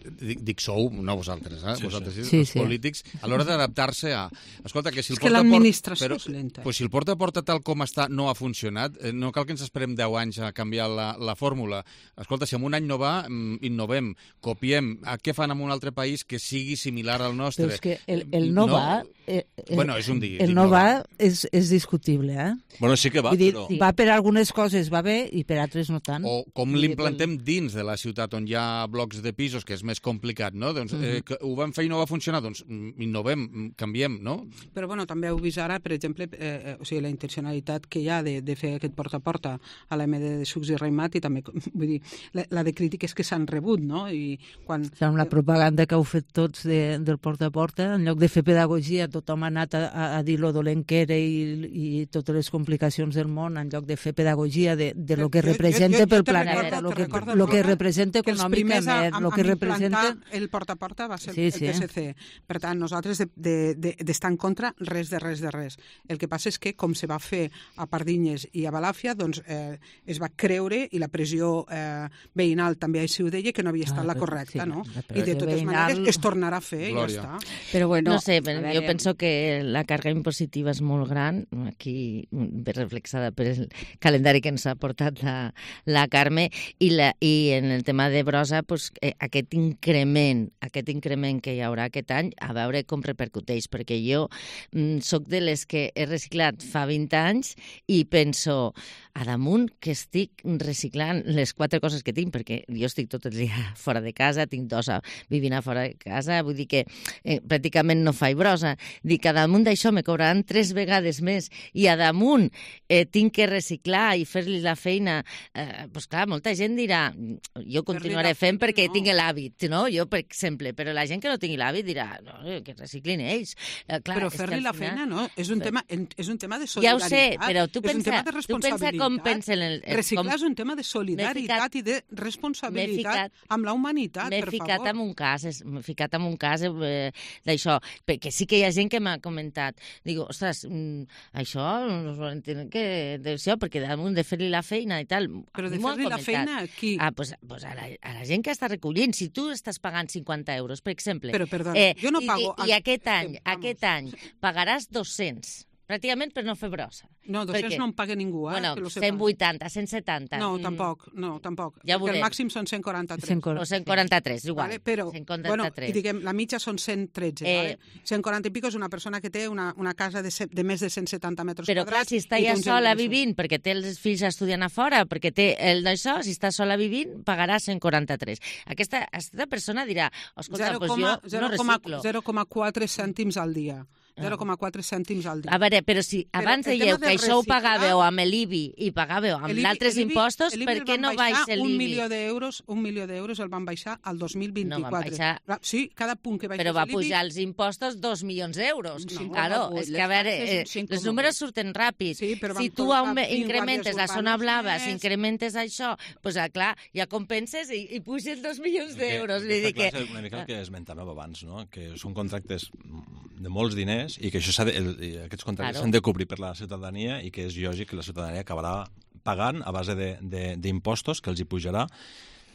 Speaker 2: de dic sou, no vosaltres, eh?
Speaker 17: Sí,
Speaker 2: vosaltres,
Speaker 17: sí.
Speaker 2: els sí, polítics, sí. A l'hora d'adaptar-se a... Escolta, que si el
Speaker 14: és que
Speaker 2: porta
Speaker 14: l'administració
Speaker 2: però,
Speaker 14: és lenta.
Speaker 2: Pues si el porta a porta tal com està no ha funcionat, eh, no cal que ens esperem deu anys a canviar la, la fórmula. Escolta, si en un any no va, innovem, copiem. Què fan en un altre país que sigui similar al nostre?
Speaker 17: Però és que el, el no, no va... Eh,
Speaker 2: eh, bueno, és un dia.
Speaker 17: El no va és, és discutible, eh?
Speaker 16: Bueno, sí que va,
Speaker 17: Vull dir,
Speaker 16: però...
Speaker 17: Va per algunes coses, va bé, i per altres no tant.
Speaker 2: O com l'implentem dins de la ciutat on hi ha blocs de pisos, que és més complicat, no? Doncs eh, que ho vam fer i no va funcionar, doncs innovem, canviem, no?
Speaker 14: Però bueno, també heu vist ara, per exemple, eh, o sigui, la intencionalitat que hi ha de, de fer aquest porta a porta a l'M D de Sucs i Raimat, i també, vull dir, la, la de crítiques que s'han rebut, no? I quan...
Speaker 17: Amb la propaganda que heu fet tots de, del porta a porta, en lloc de fer pedagogia, tothom ha anat a, a, a dir lo dolent que era i, i totes les complicacions del món, en lloc de fer pedagogia de, de lo que jo, representa jo, jo, pel planeta, lo que, lo que representa econòmicament, lo que representa...
Speaker 14: El porta a porta va ser
Speaker 17: sí,
Speaker 14: el
Speaker 17: sí.
Speaker 14: P S C. Per tant, nosaltres d'estar de, de, de, en contra res de res de res. El que passa és que, com se va fer a Pardines i a Balàfia, doncs eh, es va creure, i la pressió eh, veïnal també així ho deia, que no havia estat ah, la correcta, sí, no? I de totes veïnal... maneres es tornarà a fer Glòria. I ja està.
Speaker 18: Però bueno, no sé, però jo penso que la càrrega impositiva és molt gran, aquí ben reflexada per el calendari que ens ha portat la, la Carme, i, la, i en el tema de brossa, pues, eh, aquest increment, aquest increment que hi haurà aquest any, a veure com repercuteix, perquè jo mm, soc de les que he reciclat fa vint anys i penso, a damunt que estic reciclant les quatre coses que tinc, perquè jo estic tot el dia fora de casa, tinc dos vivint a fora de casa, vull dir que eh, pràcticament no faig brossa. Dic, a damunt d'això me cobraran tres vegades més i a damunt eh, tinc que reciclar i fer-li la feina. Eh, pues clar, molta gent dirà, jo continuaré fent perquè no. tinc l'hàbit, no? Jo, per exemple, però la gent que no tingui l'hàbit dirà, no, que reciclin ells. Eh, clar,
Speaker 14: però fer-li la feina, no? És un,
Speaker 18: però...
Speaker 14: tema, és un tema de solidaritat.
Speaker 18: Ja ho sé, però tu pensa,
Speaker 14: tu
Speaker 18: pensa com pensa... El, el,
Speaker 14: reciclar
Speaker 18: com...
Speaker 14: és un tema de solidaritat ficat, i de responsabilitat ficat, amb la humanitat, per favor. M'he ficat en
Speaker 18: un cas, m'he ficat en un cas eh, d'això, perquè sí que hi ha gent que m'ha comentat, digo, ostres, mm, això no ho entenc que d'això, perquè damunt de fer-li la feina i tal...
Speaker 14: Però de fer-li la feina a qui?
Speaker 18: Ah, pues, pues a, la, a la gent que està recollint, si tu estàs pagant cinquanta euros, per exemple...
Speaker 14: Però, perdona,
Speaker 18: eh,
Speaker 14: jo no pago...
Speaker 18: I, i aquest any, aquest any pagaràs dos-cents, pràcticament per no fer brossa.
Speaker 14: No, dos-cents
Speaker 18: perquè,
Speaker 14: no en paga ningú, eh?
Speaker 18: Bueno, cent vuitanta, cent setanta.
Speaker 14: No, tampoc, no, tampoc.
Speaker 18: Ja
Speaker 14: el màxim són cent quaranta-tres.
Speaker 18: O cent quaranta-tres, igual.
Speaker 14: Vale, però,
Speaker 18: cent quaranta-tres.
Speaker 14: bueno, i diguem, la mitja són cent tretze, eh, vale? cent quaranta i pico és una persona que té una, una casa de, de més de cent setanta metres
Speaker 18: però,
Speaker 14: quadrats.
Speaker 18: Però clar, si està ja sola vivint, perquè té els fills estudiant a fora, perquè té el d'això, si està sola vivint, pagarà cent quaranta-tres. Aquesta, aquesta persona dirà, escolta, doncs pues jo no reciclo.
Speaker 14: zero coma quatre cèntims al dia. zero coma quatre cèntims al dia.
Speaker 18: A veure, però si abans dèieu que això ho pagàveu amb l'I B I i pagàveu amb altres impostos, per què no baixa l'I B I?
Speaker 14: Un milió d'euros, un milió d'euros el van baixar al dos mil vint-i-quatre.
Speaker 18: No, van baixar...
Speaker 14: Sí, cada punt que baixés
Speaker 18: però va
Speaker 14: l'I B I...
Speaker 18: pujar els impostos dos milions d'euros.
Speaker 14: No,
Speaker 18: claro, és que a veure, eh, els números surten ràpid.
Speaker 14: Sí,
Speaker 18: si tu incrementes la zona blava, si incrementes això, doncs clar, ja compenses i, i puges dos milions d'euros.
Speaker 16: Que... Una mica el que esmentàvem abans, no? Que són contractes de molts diners i que això de, el, aquests contractes s'han claro. de cobrir per la ciutadania i que és lògic que la ciutadania acabarà pagant a base d'impostos que els hi pujarà.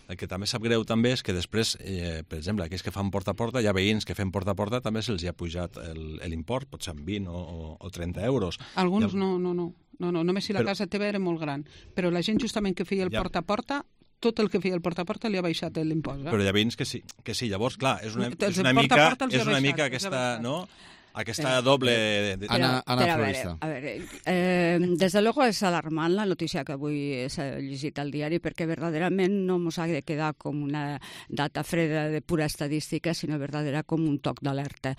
Speaker 16: El que també sap greu també és que després, eh, per exemple, aquells que fan porta a porta, hi ha veïns que fem porta a porta, també se'ls ha pujat l'import, pot ser amb vint o, o, o trenta euros.
Speaker 14: Alguns
Speaker 16: ja...
Speaker 14: no, no, no, no, no, només si la però... casa teva era molt gran, però la gent justament que feia el ja... porta a porta, tot el que feia el porta a porta li ha baixat l'impost. Eh?
Speaker 16: Però hi ha veïns que sí, que sí. Llavors, clar, és una, és una mica, és una mica aquesta, no? Aquesta doble... De...
Speaker 2: Ana, Ana
Speaker 19: pero,
Speaker 2: Florista.
Speaker 19: A ver, a ver eh, desde luego es alarmant la notícia que avui s'ha llegit al diari perquè verdaderament no ens ha de quedar com una data freda de pura estadística, sinó verdadera com un toc d'alerta.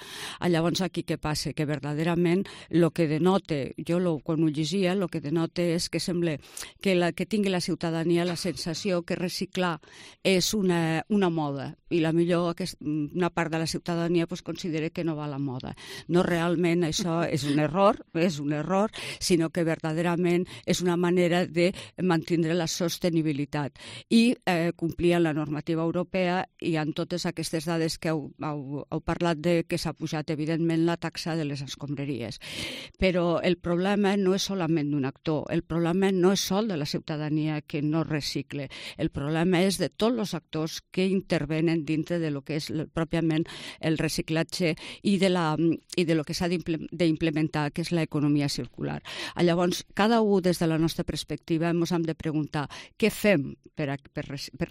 Speaker 19: Llavors aquí què passa? Que verdaderament el que denota, jo lo, quan ho llegia, el que denota és que sembla que, la, que tingui la ciutadania la sensació que reciclar és una, una moda i la millor aquest, una part de la ciutadania pues, considera que no va a la moda. No realment això és un error, és un error, sinó que verdaderament és una manera de mantenir la sostenibilitat i eh, complir la normativa europea i en totes aquestes dades que heu, heu, heu parlat de que s'ha pujat evidentment la taxa de les escombraries. Però el problema no és solament d'un actor, el problema no és sol de la ciutadania que no recicle, el problema és de tots els actors que intervenen dintre de lo que és pròpiament el reciclatge i de la i de lo que s'ha d'implementar, que és l'economia circular. Llavors, cada un des de la nostra perspectiva ens hem de preguntar què fem per, a, per, per,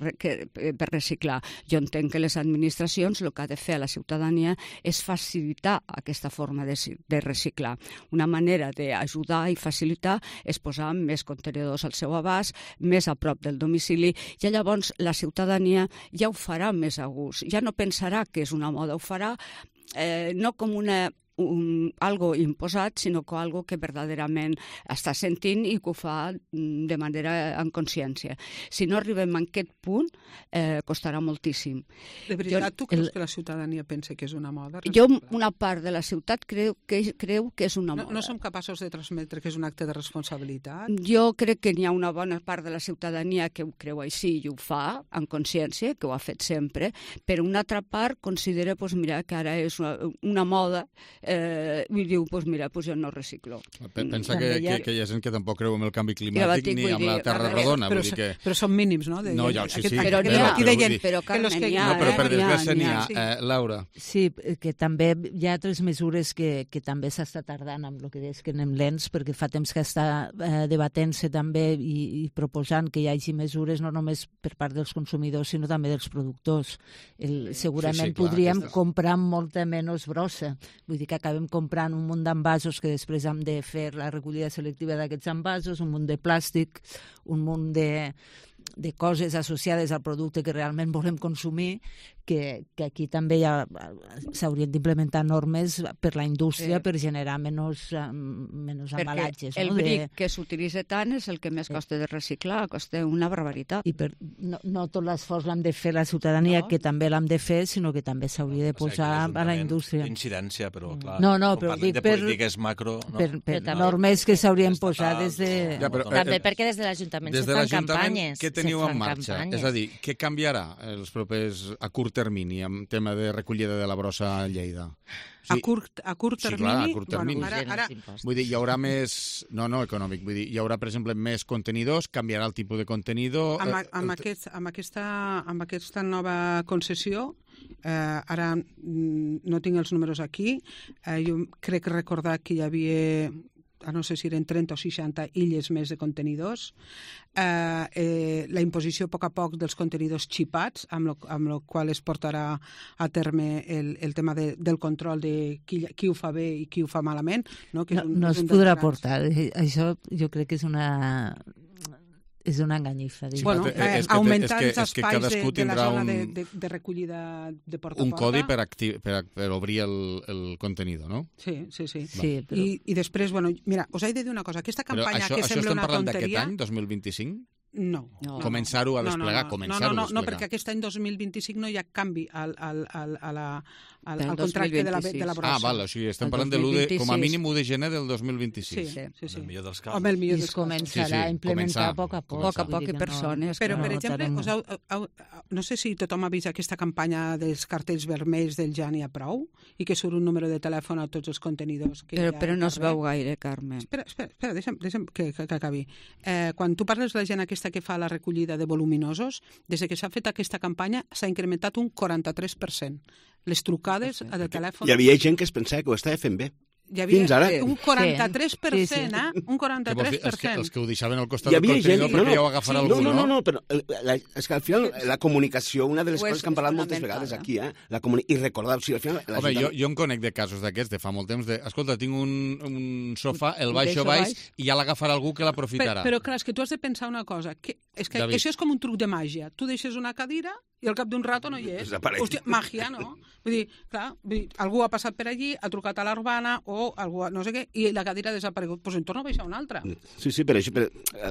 Speaker 19: per reciclar. Jo entenc que les administracions el que ha de fer a la ciutadania és facilitar aquesta forma de, de reciclar. Una manera d'ajudar i facilitar és posar més contenidors al seu abast, més a prop del domicili, i llavors la ciutadania ja ho farà més a gust. Ja no pensarà que és una moda, ho farà Eh, no com una, un, algo imposat, sinó com algo que verdaderament està sentint i que ho fa de manera en consciència. Si no arribem a aquest punt, eh, costarà moltíssim.
Speaker 14: De veritat, jo, tu creus el, que la ciutadania pensa que és una moda?
Speaker 19: Jo, una part de la ciutat creu que, creu que és una moda.
Speaker 14: No, no som capaços de transmetre que és un acte de responsabilitat?
Speaker 19: Jo crec que n'hi ha una bona part de la ciutadania que ho creu així i ho fa, en consciència, que ho ha fet sempre, però una altra part considera pues, mira, que ara és una, una moda eh, i diu, pues mira, pues jo no reciclo.
Speaker 2: Pensa que, que, que hi ha gent que tampoc creu en el canvi climàtic ni amb la Terra rodona.
Speaker 14: Però,
Speaker 2: vull dir que...
Speaker 14: però són mínims, no? De,
Speaker 2: no, ja, sí, sí.
Speaker 19: Però n'hi ha,
Speaker 14: però, dir...
Speaker 19: però Carmen, n'hi ha.
Speaker 2: No, però per desgràcia n'hi ha. Eh, Laura.
Speaker 17: Sí, que també hi ha altres mesures que, que també s'està tardant amb el que deies que anem lents, perquè fa temps que està eh, debatent-se també i, i proposant que hi hagi mesures no només per part dels consumidors, sinó també dels productors. El, segurament sí, sí, clar, podríem aquestes... comprar molta menys brossa. Vull dir que acabem comprant un munt d'envasos que després hem de fer la recollida selectiva d'aquests envasos, un munt de plàstic, un munt de, de coses associades al producte que realment volem consumir, que, que aquí també ja s'haurien d'implementar normes per la indústria eh, per generar menys, menys embalatges.
Speaker 19: Perquè el
Speaker 17: no?
Speaker 19: bric
Speaker 17: de...
Speaker 19: que s'utilitza tant és el que més costa de reciclar, costa una barbaritat.
Speaker 17: I per, no, no tot l'esforç l'hem de fer la ciutadania, no? Que també l'hem de fer, sinó que també s'hauria de posar o sigui, a la indústria.
Speaker 16: Incidència, però clar,
Speaker 17: no, no, però dic
Speaker 16: de
Speaker 17: per,
Speaker 16: polítiques macro... No?
Speaker 17: Per, per
Speaker 16: no,
Speaker 17: normes que s'haurien posat des de...
Speaker 2: Ja, però,
Speaker 18: també eh, perquè des de l'Ajuntament se fan campanyes.
Speaker 2: Què teniu en marxa? Campanyes. És a dir, què canviarà els propers a curt termini amb tema de recollida de la brossa a Lleida?
Speaker 14: Sí, a, curt, a curt termini?
Speaker 2: Sí, clar, a curt termini.
Speaker 14: Bueno, ara, ara...
Speaker 2: Vull dir, hi haurà més... No, no, econòmic. Vull dir, hi haurà, per exemple, més contenidors, canviarà el tipus de contenidor...
Speaker 14: Amb, amb, aquest, amb, aquesta, amb aquesta nova concessió, eh, ara no tinc els números aquí, eh, jo crec recordar que hi havia... no sé si eren trenta o seixanta illes més de contenidors, eh, eh, la imposició a poc a poc dels contenidors xipats, amb lo, amb lo qual es portarà a terme el, el tema de, del control de qui, qui ho fa bé i qui ho fa malament. No, que
Speaker 17: no, un, no es podrà grans... portar. Això jo crec que és una... és una enganyifa.
Speaker 14: Sí, bueno, eh, augmentar els espais de, de la zona un, de, de, de recollida de porta a porta.
Speaker 2: Un codi per, acti per, per obrir el, el contenido, no?
Speaker 14: Sí, sí, sí.
Speaker 17: sí
Speaker 14: però... I, I després, bueno, mira, us he de dir una cosa. Aquesta campanya
Speaker 2: això,
Speaker 14: que
Speaker 2: això
Speaker 14: sembla una tonteria...
Speaker 2: Això estem parlant d'aquest any, dos mil vint-i-cinc?
Speaker 14: No. no
Speaker 2: Començar-ho a desplegar,
Speaker 14: no, no, no.
Speaker 2: començar-ho
Speaker 14: no, no,
Speaker 2: a desplegar.
Speaker 14: No, perquè aquest any dos mil vint-i-cinc no hi ha canvi al, al, al, a la, al, al contracte de la, de la brossa.
Speaker 2: Ah, val, o sigui, estem parlant de l'u de, com a mínim u de gener del dos mil vint-i-sis.
Speaker 14: Sí, sí, sí.
Speaker 16: El millor dels casos.
Speaker 14: Home, el millor dels
Speaker 17: casos. començarà a implementar a poc a poc.
Speaker 19: Poc a poc i persones.
Speaker 14: Però, per exemple, us heu, heu, no sé si tothom ha vist aquesta campanya dels cartells vermells del Ja n'hi ha prou i que surt un número de telèfon a tots els contenidors. Que
Speaker 19: però, però no es veu gaire, Carme.
Speaker 14: Espera, espera, espera deixa'm, deixa'm que, que, que acabi. Eh, quan tu parles de la gent aquesta que fa la recollida de voluminosos, des que s'ha fet aquesta campanya s'ha incrementat un quaranta-tres per cent. Les trucades de telèfon...
Speaker 15: Hi havia gent que es pensava que ho estava fent bé.
Speaker 14: Hi havia
Speaker 15: Fins ara.
Speaker 14: un quaranta-tres per cent, sí, sí. eh? Un quaranta-tres per cent.
Speaker 2: Els que ho deixaven al costat del contenidor perquè ja ho agafarà algú,
Speaker 15: no? No, no, no, però la, és que al final la comunicació, una de les coses que hem parlat moltes vegades aquí, eh? La comuni... I recordar, o sigui, al final...
Speaker 2: Home, jo, jo em conec de casos d'aquests de fa molt temps de, escolta, tinc un, un sofà, el baixo baix, i ja l'agafarà algú que l'aprofitarà.
Speaker 14: Però, però clar, és que tu has de pensar una cosa, que, és que David. Això és com un truc de màgia. Tu deixes una cadira i al cap d'un rato no hi és. Hòstia, màgia, no? Vull dir, clar, vull dir, algú ha passat per allí, ha trucat a l'Urbana o algú, no sé què, i la cadira ha desaparegut. Doncs pues en torna a baixar una altra.
Speaker 15: Sí, sí, però, això, però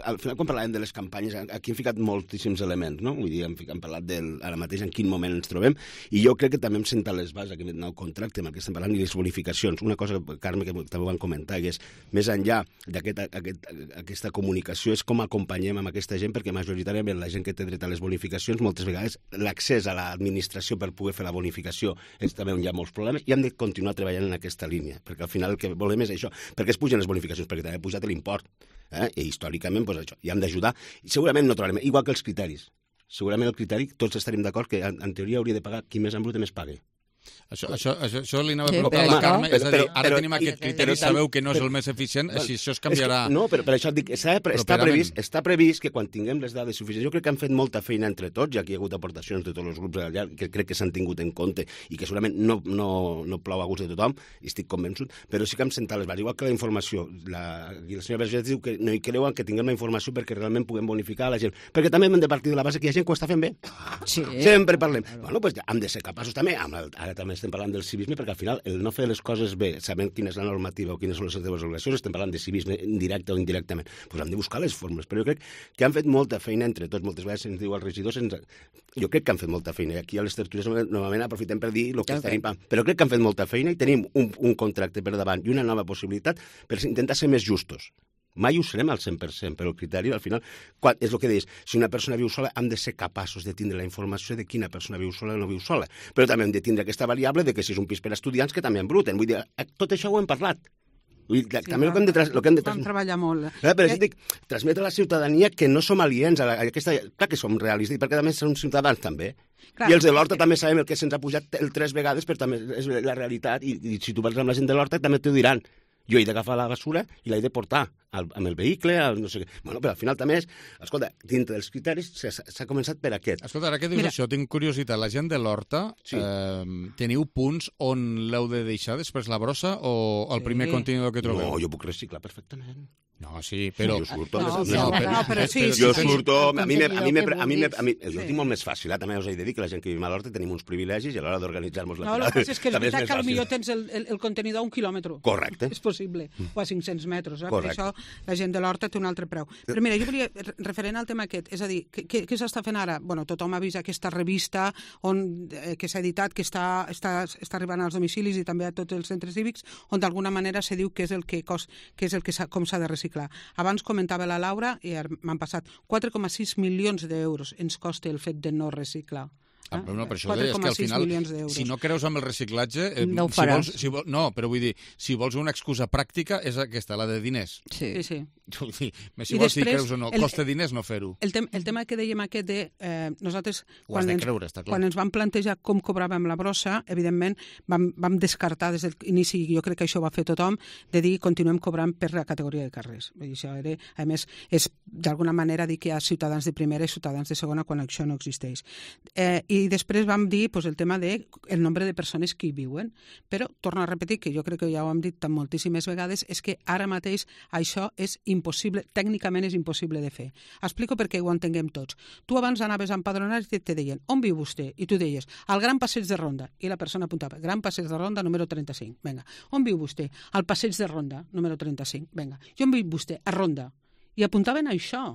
Speaker 15: al final quan parlàvem de les campanyes, aquí hem ficat moltíssims elements, no? Vull dir, hem, hem parlat del, ara mateix en quin moment ens trobem, i jo crec que també hem sentat les bases d'aquest nou contracte amb el que estem parlant i les bonificacions. Una cosa, Carme, que també ho van comentar, que és, més enllà d'aquesta aquest, comunicació, és com acompanyem amb aquesta gent, perquè majoritàriament la gent que té dret a les bonificacions, moltes vegades l'accés a l'administració per poder fer la bonificació és també on hi ha molts problemes i hem de continuar treballant en aquesta línia, perquè al final el que volem és això. Perquè es pugen les bonificacions? Perquè també ha pujat l'import. Eh? I històricament, doncs això, i hem d'ajudar. I segurament no trobarem, igual que els criteris. Segurament el criteri, tots estaríem d'acord que en, en teoria hauria de pagar qui més embrute més pague.
Speaker 2: Això, això, això, això li anava a preguntar a la Carme, és a dir, ara tenim aquest criteri, sabeu que no és el més eficient, així això es canviarà...
Speaker 15: No, però per això et dic, està, està, previst, està previst que quan tinguem les dades suficients, jo crec que han fet molta feina entre tots, ja que hi ha hagut aportacions de tots els grups allà, que crec que s'han tingut en compte i que segurament no, no, no plou a gust de tothom, i estic convençut, però sí que hem sentat les bases, igual que la informació. La, la senyora Vergés diu que no hi creuen que tinguem la informació perquè realment puguem bonificar la gent, perquè també hem de partir de la base que hi ha gent que ho està fent bé.
Speaker 19: Sí.
Speaker 15: Sempre parlem. Bueno, doncs ja hem de ser capaços també, ara també estem parlant del civisme, perquè al final el no fer les coses bé, sabent quina és la normativa o quines són les seves obligacions, estem parlant de civisme indirecte o indirectament, doncs hem de buscar les fórmules. Però jo crec que han fet molta feina entre tots. Moltes vegades se'ns diu als regidors, ens... jo crec que han fet molta feina. Aquí a les tertúlies normalment aprofitem per dir el que tenim, però crec que han fet molta feina i tenim un, un contracte per davant i una nova possibilitat per intentar ser més justos. Mai ho serem al cent per cent, però el criteri, al final, quan, és el que deies, si una persona viu sola, hem de ser capaços de tindre la informació de quina persona viu sola o no viu sola. Però també hem de tindre aquesta variable de que si és un pis per a estudiants, que també embruten. Vull dir, tot això ho hem parlat. Vull dir, sí, també el que hem de... Tras, el que hem de
Speaker 14: vam treballar molt.
Speaker 15: Eh, però eh... dic, transmetre a la ciutadania que no som aliens a, la, a aquesta... Clar que som realistes, perquè també som ciutadans, també. Clar. I els de l'Horta també sabem el que se'ns ha pujat el tres vegades, però també és la realitat, i, i si tu parles amb la gent de l'Horta també t'ho diran. Jo he d'agafar la basura i l'he de portar al, amb el vehicle, al no sé què. Bueno, però al final també és... Escolta, dintre dels criteris s'ha començat per aquest.
Speaker 2: Escolta, ara que dius Mira. això, tinc curiositat. La gent de l'Horta, sí. eh, teniu punts on l'heu de deixar després la brossa o el sí. primer contenidor que trobeu?
Speaker 15: No, jo puc reciclar perfectament.
Speaker 2: No, sí, però...
Speaker 15: Jo surto...
Speaker 14: No, no, no, però, no, però sí, sí,
Speaker 15: jo
Speaker 14: sí,
Speaker 15: surto...
Speaker 14: sí,
Speaker 15: a mi, me, a mi, me, a mi, me, a mi
Speaker 14: sí.
Speaker 15: jo tinc molt més fàcil, eh? També us he de dir que la gent que vivim a l'Horta tenim uns privilegis i a l'hora d'organitzar-nos la
Speaker 14: no,
Speaker 15: tirada...
Speaker 14: No, el que passa és que és veritat que potser tens el, el, el contenidor a un quilòmetre.
Speaker 15: Correcte.
Speaker 14: És possible, o a cinc-cents metres. Eh? Per
Speaker 15: Correcte.
Speaker 14: això la gent de l'Horta té un altre preu. Però mira, jo volia, referent al tema aquest, és a dir, què, què s'està fent ara? Bueno, tothom ha vist aquesta revista on, eh, que s'ha editat, que està, està, està arribant als domicilis i també a tots els centres cívics, on d'alguna manera se diu què és el que, cos, què és el que com s'ha de reciclar. Abans comentava la Laura i m'han passat quatre coma sis milions d'euros ens costa el fet de no reciclar.
Speaker 2: Ah, però no, per això deia, és que al final, si no creus amb el reciclatge... Eh,
Speaker 19: no ho
Speaker 2: si
Speaker 19: faràs.
Speaker 2: vols, si vol, no, però vull dir, si vols una excusa pràctica, és aquesta, la de diners.
Speaker 14: Sí, sí. sí.
Speaker 2: Si I vols dir creus o no, el, costa diners no fer-ho.
Speaker 14: El, tem, el tema que dèiem aquest de... Eh, nosaltres,
Speaker 2: ho has
Speaker 14: quan,
Speaker 2: de creure,
Speaker 14: ens,
Speaker 2: està clar.
Speaker 14: quan ens vam plantejar com cobràvem la brossa, evidentment vam, vam descartar des de l'inici, jo crec que això va fer tothom, de dir continuem cobrant per la categoria de carrers. I això era, a més, és d'alguna manera dir que hi ha ciutadans de primera i ciutadans de segona quan això no existeix. Eh, I després vam dir pues, el tema del de nombre de persones que hi viuen. Però, torno a repetir, que jo crec que ja ho hem dit tan moltíssimes vegades, és que ara mateix això és impossible, tècnicament és impossible de fer. Explico perquè ho entenguem tots. Tu abans anaves a empadronar i te deien, on viu vostè? I tu deies, al Gran Passeig de Ronda. I la persona apuntava, Gran Passeig de Ronda, número trenta-cinc. Vinga. On viu vostè? Al Passeig de Ronda, número trenta-cinc. Vinga. I on viu vostè? A Ronda. I apuntaven això.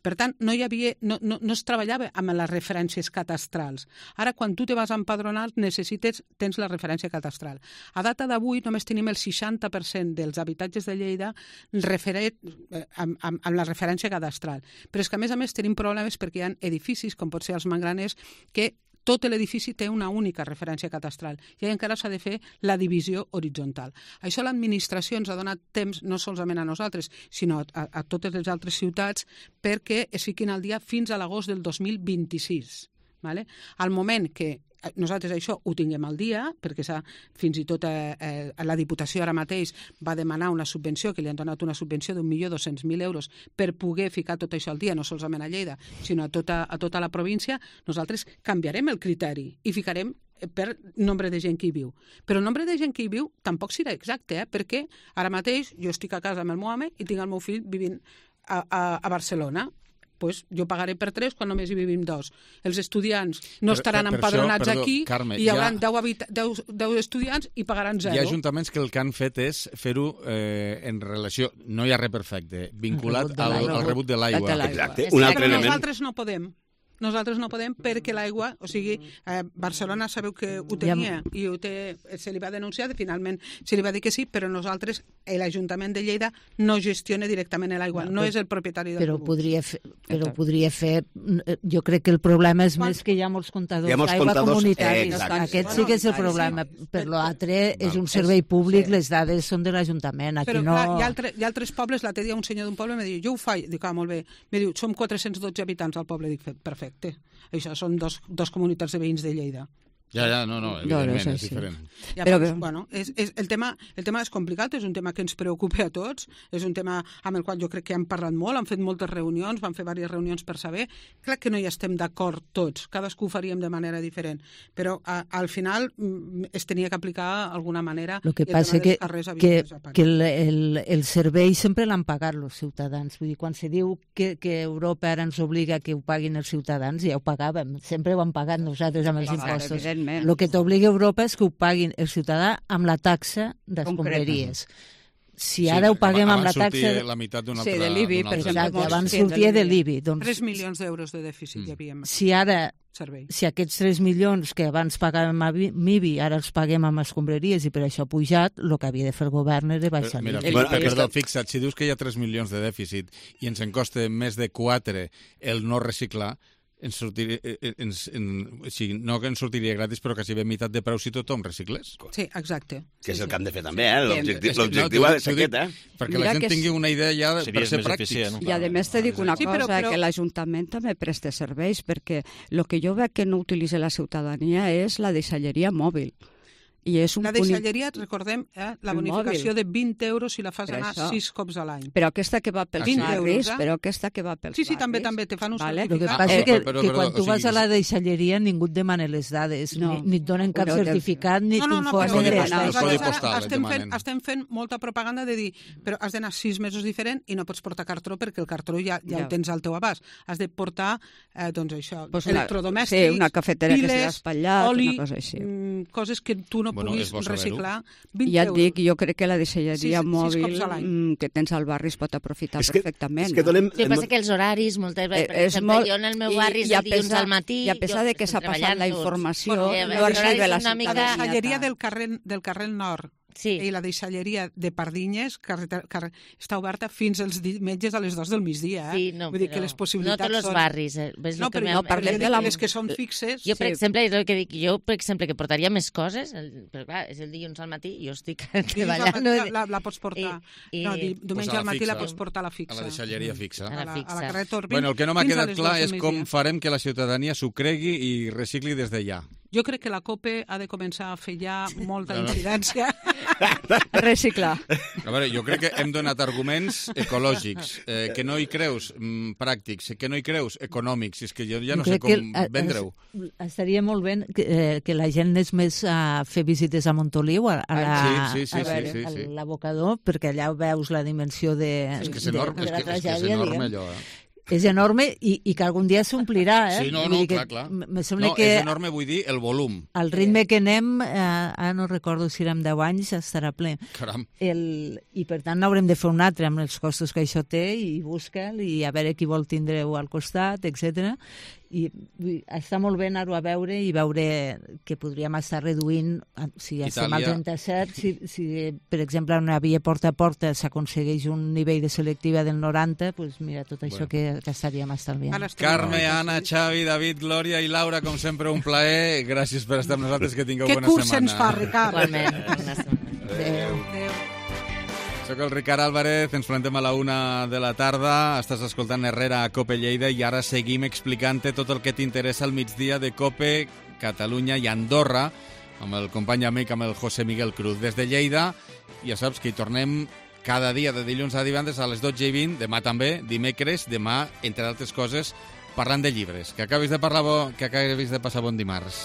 Speaker 14: Per tant, no, hi havia, no, no, no es treballava amb les referències catastrals. Ara, quan tu te vas empadronar, necessites, tens la referència catastral. A data d'avui, només tenim el seixanta per cent dels habitatges de Lleida referent, eh, amb, amb, amb la referència cadastral. Però és que, a més a més, tenim problemes perquè hi ha edificis, com pot ser els Mangraners, que tot l'edifici té una única referència catastral i encara s'ha de fer la divisió horitzontal. Això l'administració ens ha donat temps no solament a nosaltres, sinó a, a totes les altres ciutats perquè es fiquin al dia fins a l'agost del dos mil vint-i-sis. Vale? Al moment que nosaltres això ho tinguem al dia, perquè fins i tot eh, eh, la Diputació ara mateix va demanar una subvenció, que li han donat una subvenció d'un milió dos-cents mil euros per poder ficar tot això al dia, no solament a Lleida, sinó a tota, a tota la província, nosaltres canviarem el criteri i ficarem per nombre de gent que hi viu. Però el nombre de gent que hi viu tampoc serà exacte, eh? Perquè ara mateix jo estic a casa amb el meu home i tinc el meu fill vivint a, a, a Barcelona. Pues jo pagaré per tres quan només hi vivim dos. Els estudiants no estaran per, per empadronats això, perdó, aquí Carme, i hi haurà deu estudiants i pagaran zero.
Speaker 2: Hi ha ajuntaments que el que han fet és fer-ho eh, en relació, no hi ha res perfecte, vinculat al, al rebut de l'aigua.
Speaker 15: Exacte. Un altre
Speaker 14: Però
Speaker 15: element.
Speaker 14: nosaltres no podem. Nosaltres no podem perquè l'aigua, o sigui, eh, Barcelona sabeu que ho tenia i ho té, se li va denunciar, finalment se li va dir que sí, però nosaltres, l'Ajuntament de Lleida, no gestiona directament l'aigua, no, no és el propietari del
Speaker 17: però
Speaker 14: rebut.
Speaker 17: Podria fer, però podria fer, jo crec que el problema és Quan? més que hi ha molts comptadors d'aigua comunitaris. Eh, Aquest sí que és el problema. Per l'altre és un servei públic, les dades són de l'Ajuntament. Aquí
Speaker 14: però
Speaker 17: no...
Speaker 14: clar, hi, ha altre, hi ha altres pobles, l'altre dia un senyor d'un poble me diu, jo ho faig, dic, ah, molt bé, me diu, som quatre-cents dotze habitants al poble, dic, perfecte. Això són dos, dos comunitats de veïns de Lleida.
Speaker 2: Ja, ja, no, no, evidentment, no, no, és sí. diferent.
Speaker 14: Ja, però, però, bueno, és, és, el, tema, el tema és complicat, és un tema que ens preocupa a tots, és un tema amb el qual jo crec que hem parlat molt, hem fet moltes reunions, vam fer diverses reunions per saber, crec que no hi estem d'acord tots, cadascú ho faríem de manera diferent, però a, al final es tenia que aplicar d'alguna manera.
Speaker 17: El que passa que, que, que el, el, el servei sempre l'han pagat els ciutadans, vull dir, quan se diu que, que Europa ara ens obliga que ho paguin els ciutadans, ja ho pagàvem, sempre ho han pagat nosaltres amb els impostos. El que t'obliga Europa és que ho paguin el ciutadà amb la taxa d'escombraries. Si ara sí, ho paguem amb la taxa...
Speaker 2: la meitat d'una
Speaker 17: sí,
Speaker 2: altra...
Speaker 17: de l'I B I, per exemple, abans sortia de l'I B I. Doncs,
Speaker 14: tres milions d'euros de dèficit hi havia.
Speaker 17: Si ara, servei. si aquests tres milions que abans pagàvem a M I B I, ara els paguem amb escombraries i per això ha pujat, el que havia de fer el govern era baixar l'I B I.
Speaker 2: Mira, perdó, fixa't, si dius que hi ha tres milions de dèficit i ens en costa més de quatre el no reciclar, ens sortiria, ens, en, o sigui, no que ens sortiria gratis, però quasi bé meitat de preu si tothom reciclés.
Speaker 14: Sí, exacte.
Speaker 15: Que és
Speaker 14: sí,
Speaker 15: el que hem de fer també, eh? L'objectiu no, ha de ser aquest, eh?
Speaker 2: Perquè Mira la gent tingui una idea ja de, per ser pràctics.
Speaker 19: I a més te dic una
Speaker 14: sí,
Speaker 19: cosa,
Speaker 14: però, però...
Speaker 19: que l'Ajuntament també presta serveis, perquè el que jo veig que no utilitza la ciutadania és la deixalleria mòbil. I és un
Speaker 14: la deixalleria, punt... recordem, eh, la bonificació de vint euros si la fas
Speaker 19: per
Speaker 14: anar
Speaker 19: això.
Speaker 14: sis cops a l'any.
Speaker 19: Però aquesta que va pels
Speaker 14: vint
Speaker 19: barris,
Speaker 14: euros, eh?
Speaker 19: però aquesta que va pels
Speaker 14: sí, sí,
Speaker 19: barris...
Speaker 14: també, també, te fan un
Speaker 19: vale.
Speaker 17: El que
Speaker 14: certificat.
Speaker 17: passa
Speaker 14: Eh,
Speaker 17: que,
Speaker 2: però,
Speaker 17: que
Speaker 2: però,
Speaker 17: quan tu
Speaker 2: o sigui,
Speaker 17: vas a la deixalleria ningú et demana les dades,
Speaker 19: no.
Speaker 17: ni, ni et donen cap
Speaker 19: no,
Speaker 17: certificat, ni
Speaker 14: no, no, no,
Speaker 17: t'informen
Speaker 14: però,
Speaker 17: de
Speaker 14: no,
Speaker 17: les
Speaker 2: codi
Speaker 14: no,
Speaker 2: postal,
Speaker 14: estem, fent, estem fent molta propaganda de dir, però has d'anar sis mesos diferent i no pots portar cartró perquè el cartró ja, ja, ja. el tens al teu abast. Has de portar, eh, doncs això,
Speaker 19: pues
Speaker 14: electrodomèstics,
Speaker 19: sí, una cafetera
Speaker 14: piles,
Speaker 19: que s'ha espatllat,
Speaker 14: oli,
Speaker 19: una cosa així.
Speaker 14: Mm, coses que tu no
Speaker 2: bueno,
Speaker 14: puguis reciclar.
Speaker 19: I ja et dic, jo crec que la deixalleria
Speaker 14: sis,
Speaker 19: mòbil
Speaker 14: sis
Speaker 19: que tens al barri es pot aprofitar
Speaker 15: és que,
Speaker 19: perfectament.
Speaker 15: És que donem...
Speaker 18: El que passa que els horaris, moltes vegades, per exemple, molt... jo en el meu barri és el dilluns al matí...
Speaker 19: I a pesar de que s'ha passat la informació,
Speaker 14: bueno,
Speaker 19: no arriba la
Speaker 14: ciutat.
Speaker 19: mica...
Speaker 14: La deixalleria del carrer, del carrer Nord
Speaker 18: sí.
Speaker 14: i la deixalleria de Pardinyes carrer, carrer, està oberta fins als diumenges a les dues del migdia. Eh?
Speaker 18: Sí, no,
Speaker 14: Vull dir que les possibilitats
Speaker 18: no tots els
Speaker 14: són...
Speaker 18: barris. Eh? Ves
Speaker 14: no,
Speaker 18: que
Speaker 14: però no parlem de les que són fixes.
Speaker 18: Jo, per
Speaker 14: sí.
Speaker 18: exemple, és el que dic, jo, per exemple, que portaria més coses, el, però clar, és el dilluns al matí i jo estic treballant.
Speaker 14: La, la, la pots portar.
Speaker 18: I, i,
Speaker 14: no, diumenge
Speaker 2: pues
Speaker 14: al matí
Speaker 2: fixa,
Speaker 14: la pots portar a la fixa.
Speaker 2: A la deixalleria fixa.
Speaker 18: A la, fixa.
Speaker 14: A la, a la carrer Torbin.
Speaker 2: Bueno, el que no m'ha quedat clar és com
Speaker 14: migdia.
Speaker 2: farem que la ciutadania s'ho cregui i recicli des de ja.
Speaker 14: Jo crec que la COPE ha de començar a fer ja molta incidència
Speaker 19: Reciclar.
Speaker 2: A veure, jo crec que hem donat arguments ecològics, eh, que no hi creus, mm, pràctics, que no hi creus, econòmics. És que jo ja no sé com vendre-ho.
Speaker 17: Estaria molt bé que, eh, que la gent anés més a fer visites a Montoliu, a, a la,
Speaker 2: sí, sí, sí,
Speaker 17: a,
Speaker 2: sí, sí, sí.
Speaker 17: a l'abocador, perquè allà veus la dimensió de,
Speaker 2: és que és
Speaker 17: de,
Speaker 2: enorme,
Speaker 17: de la
Speaker 2: és que,
Speaker 17: tragèdia.
Speaker 2: és, que és enorme allò, eh?
Speaker 17: És enorme i, i que algun dia s'omplirà, eh?
Speaker 2: Sí, no, no, clar, clar.
Speaker 17: Me sembla
Speaker 2: no,
Speaker 17: que
Speaker 2: és enorme, vull dir, el volum.
Speaker 17: Al ritme que anem, eh, ara no recordo si érem deu anys, estarà ple.
Speaker 2: Caram.
Speaker 17: El, I per tant n'haurem de fer un altre amb els costos que això té i busca'l i a veure qui vol tindre-ho al costat, etcètera. I està molt bé anar-ho a veure i veure que podríem estar reduint, si estem al trenta-set, si, si per exemple en una via porta a porta s'aconsegueix un nivell de selectiva del noranta, doncs mira, tot això bueno. que, que estaríem estalviant.
Speaker 2: Carme, Anna, Xavi, David, Glòria i Laura, com sempre, un plaer. Gràcies per estar amb nosaltres, que tingueu
Speaker 14: que
Speaker 2: bona setmana.
Speaker 14: Que curs se'ns fa, Ricard.
Speaker 18: Igualment, bona setmana.
Speaker 2: Adéu. Adéu. Soc el Ricard Álvarez, ens plantem a la una de la tarda, estàs escoltant Herrera a COPE Lleida i ara seguim explicant-te tot el que t'interessa al migdia de COPE, Catalunya i Andorra, amb el company amic, amb el José Miguel Cruz. Des de Lleida, ja saps que hi tornem cada dia de dilluns a divendres a les dotze i vint, demà també, dimecres, demà, entre altres coses, parlant de llibres. Que acabis de, parlar bo, que acabis de passar bon dimarts.